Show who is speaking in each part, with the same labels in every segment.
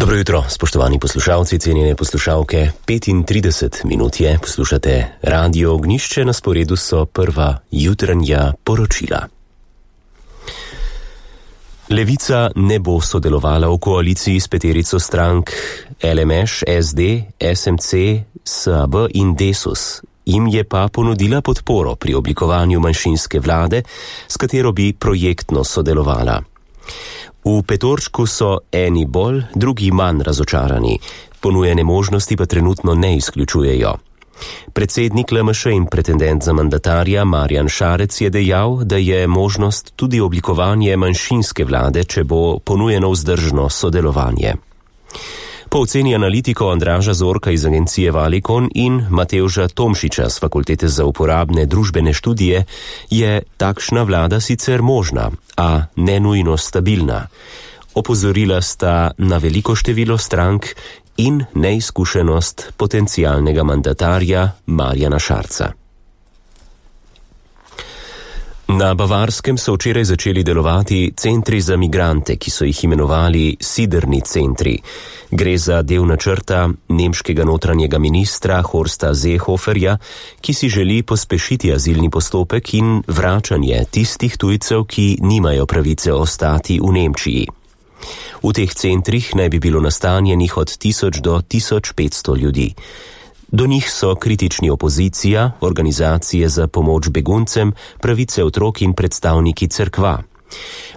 Speaker 1: Dobro jutro, spoštovani poslušalci, cenjene poslušalke. 35 minut je, poslušate Radio Ognjišče, na sporedu so prva jutranja poročila. Levica ne bo sodelovala v koaliciji s peterico strank LMŠ, SD, SMC, SAB in Desus. Jim je pa ponudila podporo pri oblikovanju manjšinske vlade, s katero bi projektno sodelovala. V petorčku so eni bolj, drugi manj razočarani, ponujene možnosti pa trenutno ne izključujejo. Predsednik LMŠ in pretendent za mandatarja Marjan Šarec je dejal, da je možnost tudi oblikovanje manjšinske vlade, če bo ponujeno vzdržno sodelovanje. Po oceni analitikov Andraža Zorka iz agencije Valikon in Matevža Tomšiča z Fakultete za uporabne družbene študije je takšna vlada sicer možna, a ne nujno stabilna. Opozorila sta na veliko število strank in neizkušenost potencialnega mandatarja Marjana Šarca. Na Bavarskem so včeraj začeli delovati centri za migrante, ki so jih imenovali siderni centri. Gre za del načrta nemškega notranjega ministra Horsta Seehoferja, ki si želi pospešiti azilni postopek in vračanje tistih tujcev, ki nimajo pravice ostati v Nemčiji. V teh centrih naj bi bilo nastanjenih od 1000 do 1500 ljudi. Do njih so kritični opozicija, organizacije za pomoč beguncem, pravice otrok in predstavniki cerkva.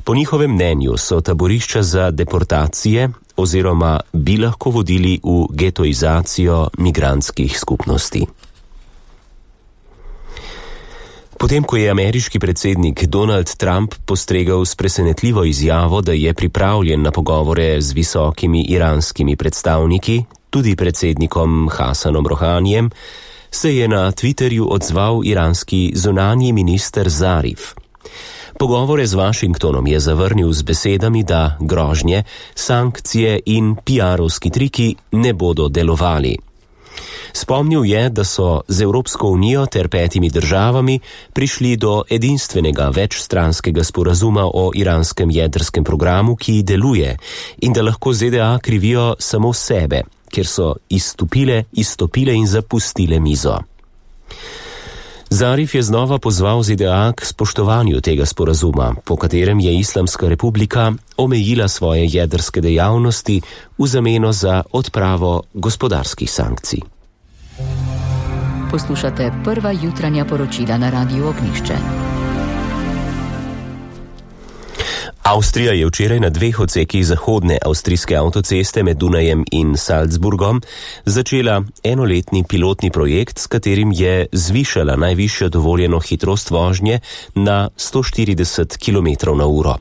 Speaker 1: Po njihovem mnenju so taborišča za deportacije oziroma bi lahko vodili v getoizacijo migrantskih skupnosti. Potem, ko je ameriški predsednik Donald Trump postregel s presenetljivo izjavo, da je pripravljen na pogovore z visokimi iranskimi predstavniki, tudi predsednikom Hasanom Rohanijem, se je na Twitterju odzval iranski zunanji minister Zarif. Pogovore z Washingtonom je zavrnil z besedami, da grožnje, sankcije in PR-ovski triki ne bodo delovali. Spomnil je, da so z Evropsko unijo ter 5 državami prišli do edinstvenega večstranskega sporazuma o iranskem jedrskem programu, ki deluje, in da lahko ZDA krivijo samo sebe, ker so izstopile in zapustile mizo. Zarif je znova pozval ZDA k spoštovanju tega sporazuma, po katerem je Islamska republika omejila svoje jedrske dejavnosti v zameno za odpravo gospodarskih sankcij.
Speaker 2: Poslušate prva jutranja poročila na Radiu Ognjišče.
Speaker 1: Avstrija je včeraj na 2 odsekih zahodne avstrijske avtoceste med Dunajem in Salzburgom začela enoletni pilotni projekt, s katerim je zvišala najvišjo dovoljeno hitrost vožnje na 140 km/h.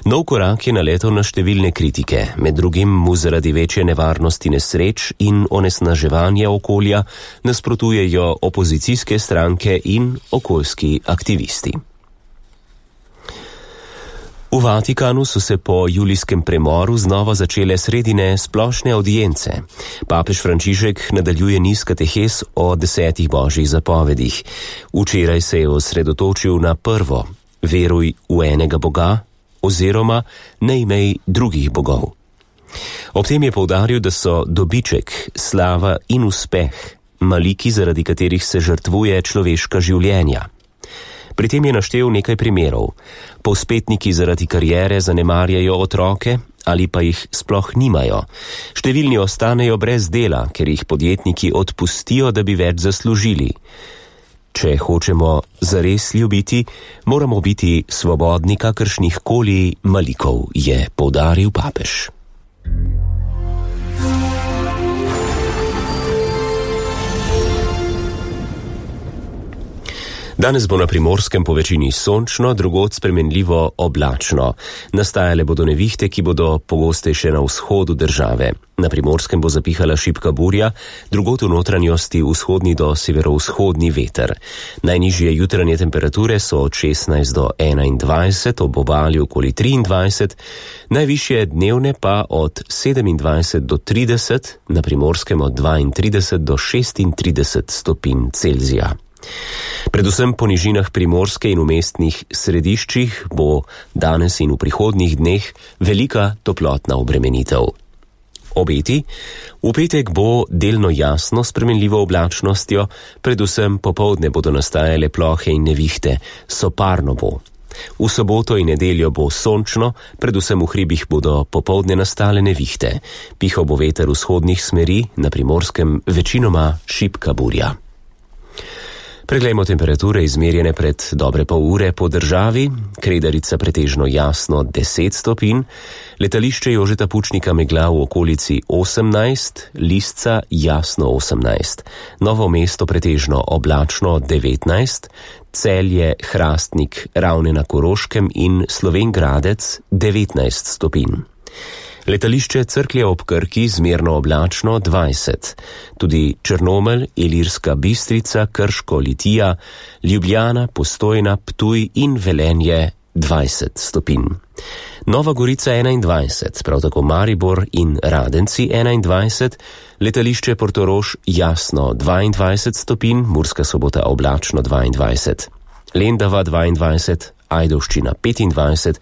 Speaker 1: Nov korak je naletel na številne kritike, med drugim mu zaradi večje nevarnosti nesreč in onesnaževanja okolja nasprotujejo opozicijske stranke in okoljski aktivisti. V Vatikanu so se po julijskem premoru znova začele sredine splošne audience. Papež Frančišek nadaljuje niz katehes o 10 božjih zapovedih. Včeraj se je osredotočil na prvo: veruj v enega Boga oziroma ne imej drugih bogov. Ob tem je poudaril, da so dobiček, slava in uspeh maliki, zaradi katerih se žrtvuje človeška življenja. Pri tem je naštel nekaj primerov. Povzpetniki zaradi kariere zanemarjajo otroke ali pa jih sploh nimajo. Številni ostanejo brez dela, ker jih podjetniki odpustijo, da bi več zaslužili. Če hočemo zares ljubiti, moramo biti svobodni kakršnih koli malikov, je poudaril papež. Danes bo na Primorskem po večini sončno, drugod spremenljivo oblačno. Nastajale bodo nevihte, ki bodo pogostejše na vzhodu države. Na Primorskem bo zapihala šibka burja, drugod v notranjosti vzhodni do severovzhodni veter. Najnižje jutranje temperature so od 16 do 21, ob obali okoli 23, najvišje dnevne pa od 27 do 30, na Primorskem od 32 do 36 stopinj Celzija. Predvsem po nižinah Primorske in v mestnih središčih bo danes in v prihodnjih dneh velika toplotna obremenitev. Obeti. V petek bo delno jasno s spremenljivo oblačnostjo, predvsem popoldne bodo nastajale plohe in nevihte, soparno bo. V soboto in nedeljo bo sončno, predvsem v hribih bodo popoldne nastale nevihte. Pihal bo veter vzhodnih smeri, na Primorskem večinoma šibka burja. Preglejmo temperature izmerjene pred dobre pol ure po državi. Kredarica pretežno jasno 10 stopinj, letališče Jožeta Pučnika megla v okolici 18, Lisca jasno 18, Novo mesto pretežno oblačno 19, Celje, Hrastnik, Ravne na Koroškem in Slovenj Gradec 19 stopinj. Letališče Cerklje ob Krki zmerno oblačno 20, tudi Črnomelj, Ilirska Bistrica, Krško, Litija, Ljubljana, Postojna, Ptuj in Velenje 20 stopinj. Nova Gorica 21, prav tako Maribor in Radenci 21, letališče Portorož jasno 22 stopinj, Murska Sobota oblačno 22, Lendava 22, Ajdovščina 25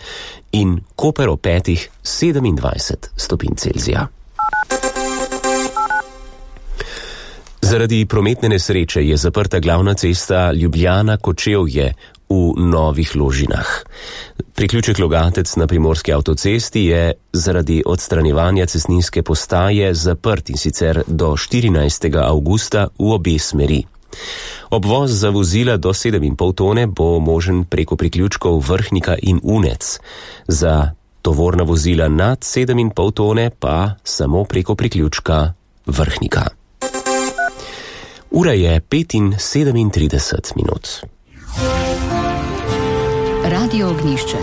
Speaker 1: in Koper ob 5 27 stopinj Celzija. Zaradi prometne nesreče je zaprta glavna cesta Ljubljana-Kočevje v Novih Ložinah. Priključek Logatec na Primorski avtocesti je zaradi odstranjevanja cestninske postaje zaprt, in sicer do 14. avgusta v obe smeri. Obvoz za vozila do 7,5 tone bo možen preko priključkov Vrhnika in Unec. Za tovorna vozila nad 7,5 tone pa samo preko priključka Vrhnika. Ura je 5:37 minut.
Speaker 2: Radio Ognjišče.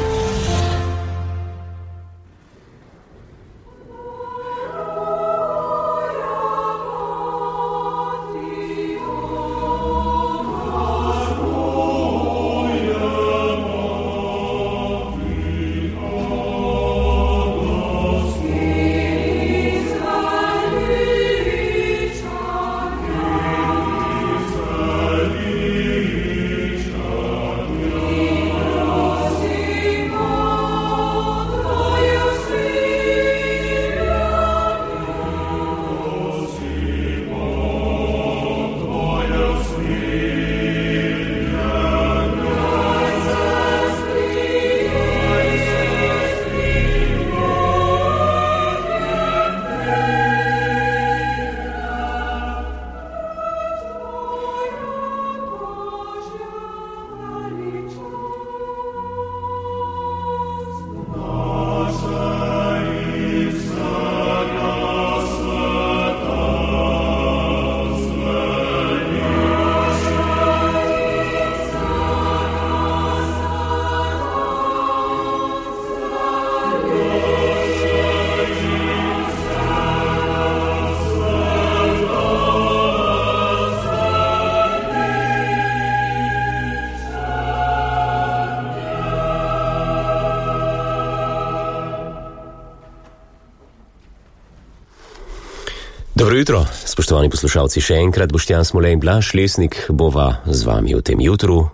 Speaker 1: Dobro jutro, spoštovani poslušalci, še enkrat Boštjan Smole in Blaž Lesnik bova z vami v tem jutru,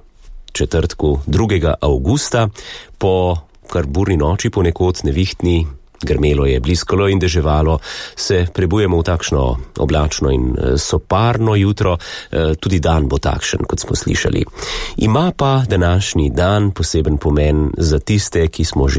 Speaker 1: četrtku 2. avgusta, po kar burni noči ponekod nevihtni, grmelo je, bliskalo in deževalo, se prebujemo v takšno oblačno in soparno jutro, tudi dan bo takšen, kot smo slišali. Ima pa današnji dan poseben pomen za tiste, ki smo že